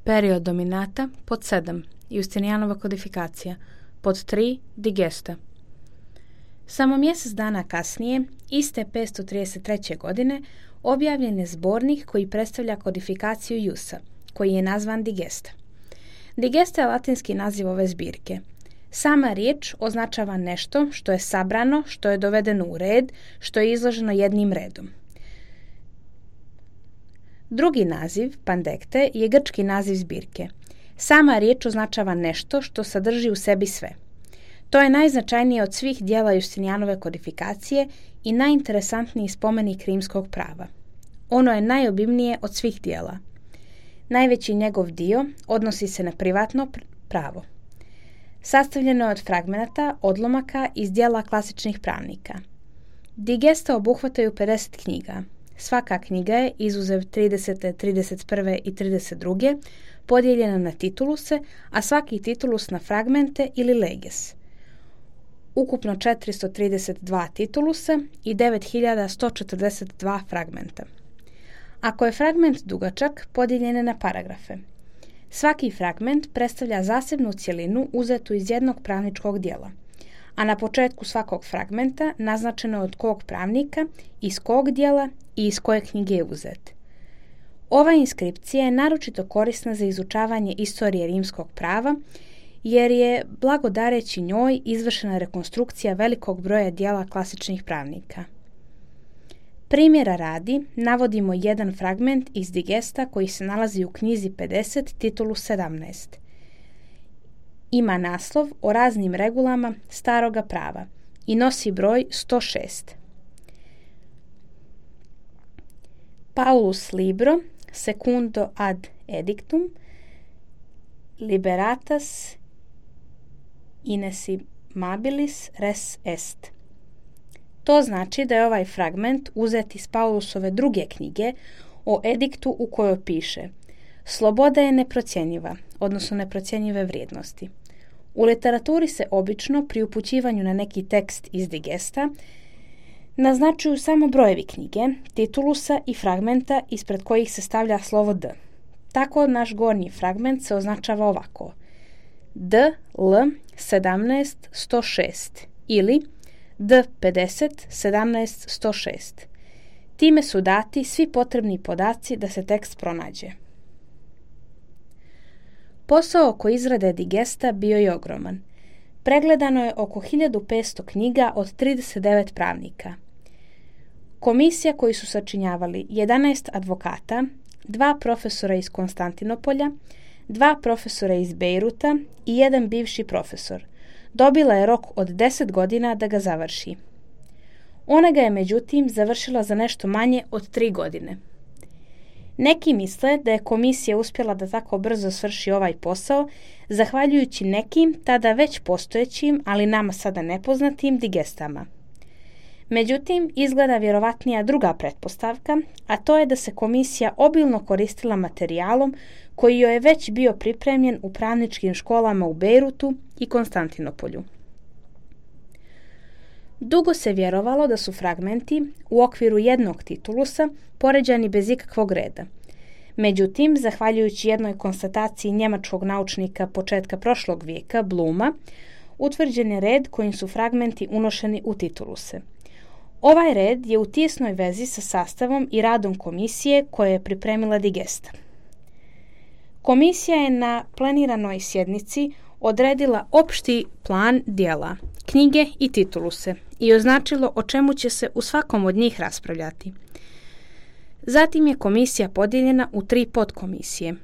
Period dominata. Pod 7. Justinijanova kodifikacija. Pod 3. Digesta. Samo mjesec dana kasnije, iste 533. godine, objavljen je zbornik koji predstavlja kodifikaciju Iusa, koji je nazvan Digesta. Digesta je latinski naziv ove zbirke. Sama riječ označava nešto što je sabrano, što je dovedeno u red, što je izloženo jednim redom. Drugi naziv, pandekte, je grčki naziv zbirke. Sama riječ označava nešto što sadrži u sebi sve. To je najznačajnije od svih dijela Justinijanove kodifikacije i najinteresantniji spomenik rimskog prava. Ono je najobimnije od svih dijela. Najveći njegov dio odnosi se na privatno pravo. Sastavljeno je od fragmenata, odlomaka iz dijela klasičnih pravnika. Digesta obuhvataju 50 knjiga. Svaka knjiga je, izuzev 30., 31. i 32. podijeljena na tituluse, a svaki titulus na fragmente ili leges. Ukupno 432 titulusa i 9142 fragmenta. Ako je fragment dugačak, podijeljen je na paragrafe. Svaki fragment predstavlja zasebnu cjelinu uzetu iz jednog pravničkog dijela, a na početku svakog fragmenta naznačeno je od kog pravnika, iz kog dijela i iz koje knjige je uzet. Ova inskripcija je naročito korisna za izučavanje istorije rimskog prava, jer je, blagodareći njoj, izvršena rekonstrukcija velikog broja dijela klasičnih pravnika. Primjera radi, navodimo jedan fragment iz Digesta koji se nalazi u knjizi 50, titulu 17. Ima naslov o raznim regulama staroga prava i nosi broj 106. Paulus libro secundo ad edictum liberatas inesimabilis res est. To znači da je ovaj fragment uzet iz Paulusove druge knjige o ediktu u kojoj piše: sloboda je neprocjenjiva, odnosno neprocjenjive vrijednosti. U literaturi se obično pri upućivanju na neki tekst iz Digesta naznačuju samo brojevi knjige, titulusa i fragmenta ispred kojih se stavlja slovo D. Tako naš gornji fragment se označava ovako: DL 17 106 ili D50 17 106. Time su dati svi potrebni podaci da se tekst pronađe. Posao oko izrade Digesta bio je ogroman. Pregledano je oko 1500 knjiga od 39 pravnika. Komisija koju su sačinjavali 11 advokata, 2 profesora iz Konstantinopolja, 2 profesora iz Bejruta i 1 bivši profesor, dobila je rok od 10 godina da ga završi. Ona ga je međutim završila za nešto manje od 3 godine. Neki misle da je komisija uspjela da tako brzo svrši ovaj posao zahvaljujući nekim tada već postojećim, ali nama sada nepoznatim digestama. Međutim, izgleda vjerovatnija druga pretpostavka, a to je da se komisija obilno koristila materijalom koji joj je već bio pripremljen u pravničkim školama u Bejrutu i Konstantinopolju. Dugo se vjerovalo da su fragmenti u okviru jednog titulusa poređani bez ikakvog reda. Međutim, zahvaljujući jednoj konstataciji njemačkog naučnika početka prošlog vijeka, Bluma, utvrđen je red kojim su fragmenti unošeni u tituluse. Ovaj red je u tijesnoj vezi sa sastavom i radom komisije koje je pripremila Digesta. Komisija je na planiranoj sjednici odredila opšti plan dijela, knjige i tituluse i označilo o čemu će se u svakom od njih raspravljati. Zatim je komisija podijeljena u 3 podkomisije.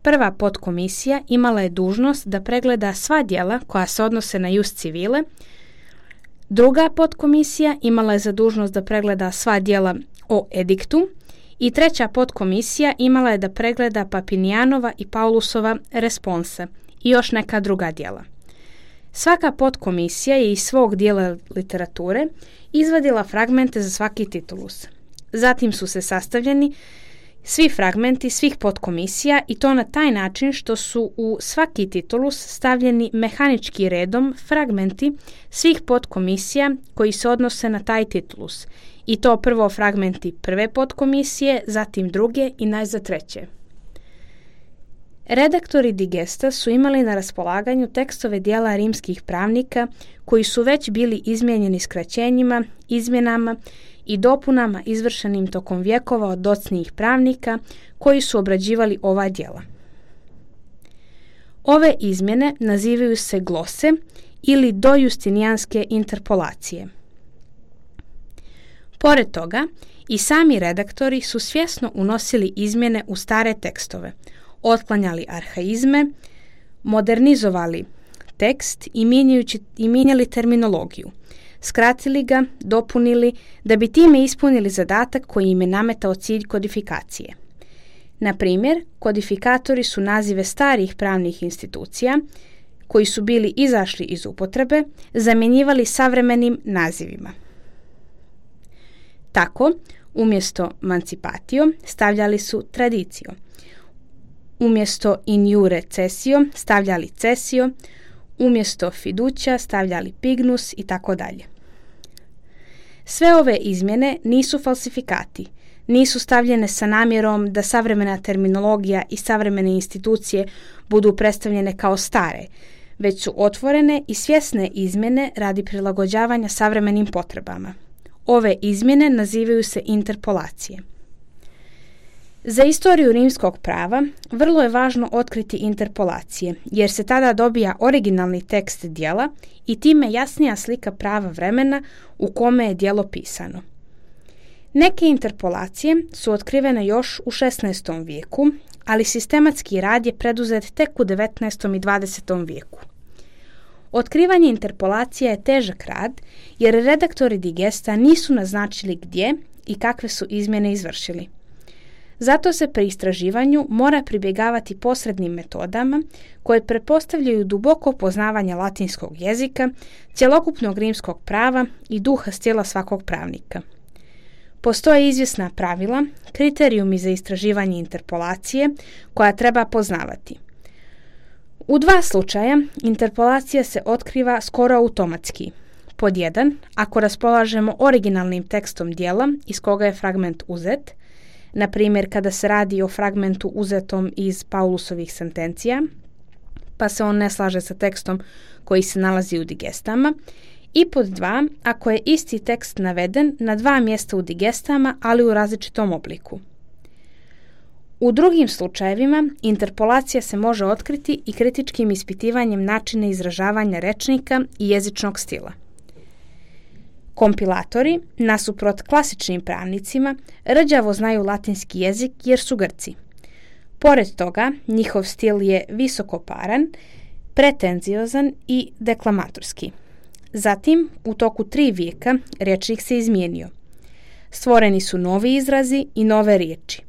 Prva podkomisija imala je dužnost da pregleda sva djela koja se odnose na jus civile. Druga podkomisija imala je za dužnost da pregleda sva djela o ediktu i treća podkomisija imala je da pregleda Papinijanova i Paulusova response i još neka druga djela. Svaka podkomisija je iz svog dijela literature izvadila fragmente za svaki titulus. Zatim su se sastavljeni svi fragmenti svih podkomisija i to na taj način što su u svaki titulus stavljeni mehanički redom fragmenti svih podkomisija koji se odnose na taj titulus. I to prvo fragmenti prve podkomisije, zatim druge i najzad treće. Redaktori digesta su imali na raspolaganju tekstove dijela rimskih pravnika koji su već bili izmijenjeni skraćenjima, izmjenama i dopunama izvršenim tokom vjekova od docnijih pravnika koji su obrađivali ova djela. Ove izmjene nazivaju se glose ili dojustinijanske interpolacije. Pored toga, i sami redaktori su svjesno unosili izmjene u stare tekstove, otklanjali arhaizme, modernizovali tekst i mijenjali terminologiju, skratili ga, dopunili, da bi time ispunili zadatak koji im je nametao cilj kodifikacije. Na primjer, kodifikatori su nazive starih pravnih institucija, koji su bili izašli iz upotrebe, zamjenjivali savremenim nazivima. Tako, umjesto mancipatio stavljali su tradicio, umjesto in iure cessio stavljali cessio, umjesto fiducia stavljali pignus i tako dalje. Sve ove izmjene nisu falsifikati, nisu stavljene sa namjerom da savremena terminologija i savremene institucije budu predstavljene kao stare, već su otvorene i svjesne izmjene radi prilagođavanja savremenim potrebama. Ove izmjene nazivaju se interpolacije. Za istoriju rimskog prava vrlo je važno otkriti interpolacije, jer se tada dobija originalni tekst djela i time jasnija slika prava vremena u kome je djelo pisano. Neke interpolacije su otkrivene još u 16. vijeku, ali sistematski rad je preduzet tek u 19. i 20. vijeku. Otkrivanje interpolacija je težak rad, jer redaktori digesta nisu naznačili gdje i kakve su izmjene izvršili. Zato se pri istraživanju mora pribjegavati posrednim metodama koje pretpostavljaju duboko poznavanje latinskog jezika, cjelokupnog rimskog prava i duha stila svakog pravnika. Postoje izvjesna pravila, kriterijumi za istraživanje interpolacije koja treba poznavati. U 2 slučaja interpolacija se otkriva skoro automatski. Pod 1, ako raspolažemo originalnim tekstom djela iz koga je fragment uzet, na primjer kada se radi o fragmentu uzetom iz Paulusovih sentencija, pa se on ne slaže sa tekstom koji se nalazi u digestama, i pod 2, ako je isti tekst naveden na 2 mjesta u digestama, ali u različitom obliku. U drugim slučajevima interpolacija se može otkriti i kritičkim ispitivanjem načina izražavanja rečnika i jezičnog stila. Kompilatori, nasuprot klasičnim pravnicima, rđavo znaju latinski jezik jer su Grci. Pored toga, njihov stil je visokoparan, pretenziozan i deklamatorski. Zatim, u toku 3 vijeka, rječnik se izmijenio. Stvoreni su novi izrazi i nove riječi.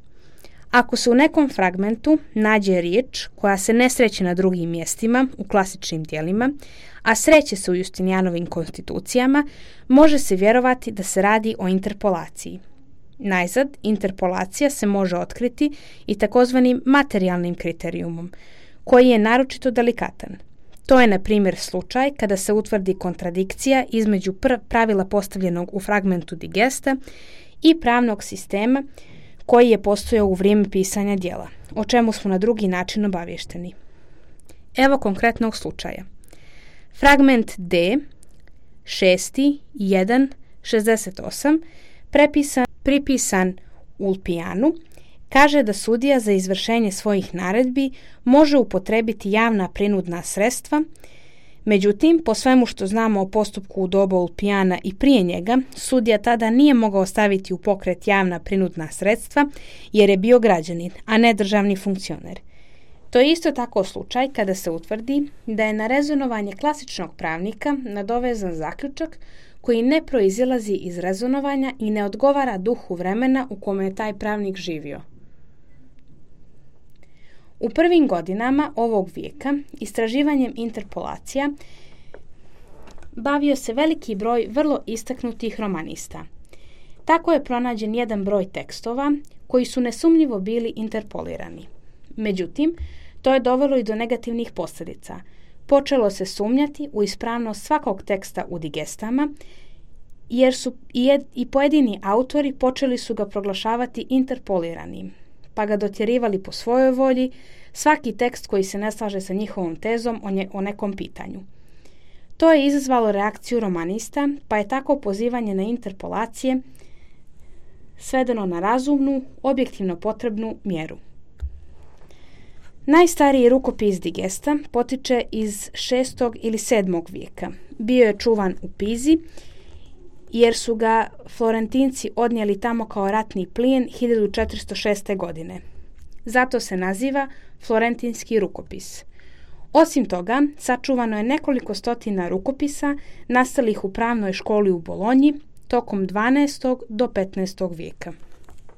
Ako se u nekom fragmentu nađe riječ koja se ne sreće na drugim mjestima u klasičnim djelima, a sreće se u Justinijanovim konstitucijama, može se vjerovati da se radi o interpolaciji. Najzad, interpolacija se može otkriti i takozvanim materijalnim kriterijumom, koji je naročito delikatan. To je, na primjer, slučaj kada se utvrdi kontradikcija između pravila postavljenog u fragmentu digesta i pravnog sistema koji je postojao u vrijeme pisanja djela, o čemu smo na drugi način obavješteni. Evo konkretnog slučaja. Fragment D, 6.1.68, pripisan Ulpijanu, kaže da sudija za izvršenje svojih naredbi može upotrebiti javna prinudna sredstva. Međutim, po svemu što znamo o postupku u doba Ulpijana i prije njega, sudija tada nije mogao staviti u pokret javna prinudna sredstva jer je bio građanin, a ne državni funkcioner. To je isto tako slučaj kada se utvrdi da je na rezonovanje klasičnog pravnika nadovezan zaključak koji ne proizilazi iz rezonovanja i ne odgovara duhu vremena u kome je taj pravnik živio. U prvim godinama ovog vijeka istraživanjem interpolacija bavio se veliki broj vrlo istaknutih romanista. Tako je pronađen jedan broj tekstova koji su nesumnjivo bili interpolirani. Međutim, to je dovelo i do negativnih posljedica. Počelo se sumnjati u ispravnost svakog teksta u digestama, jer su i pojedini autori počeli su ga proglašavati interpoliranim, pa ga dotjerivali po svojoj volji, svaki tekst koji se ne slaže sa njihovom tezom o nekom pitanju. To je izazvalo reakciju romanista, pa je tako pozivanje na interpolacije svedeno na razumnu, objektivno potrebnu mjeru. Najstariji rukopis Digesta potiče iz 6. ili 7. vijeka. Bio je čuvan u Pizi, jer su ga Florentinci odnijeli tamo kao ratni plijen 1406. godine. Zato se naziva Florentinski rukopis. Osim toga, sačuvano je nekoliko stotina rukopisa nastalih u pravnoj školi u Bolonji tokom 12. do 15. vijeka.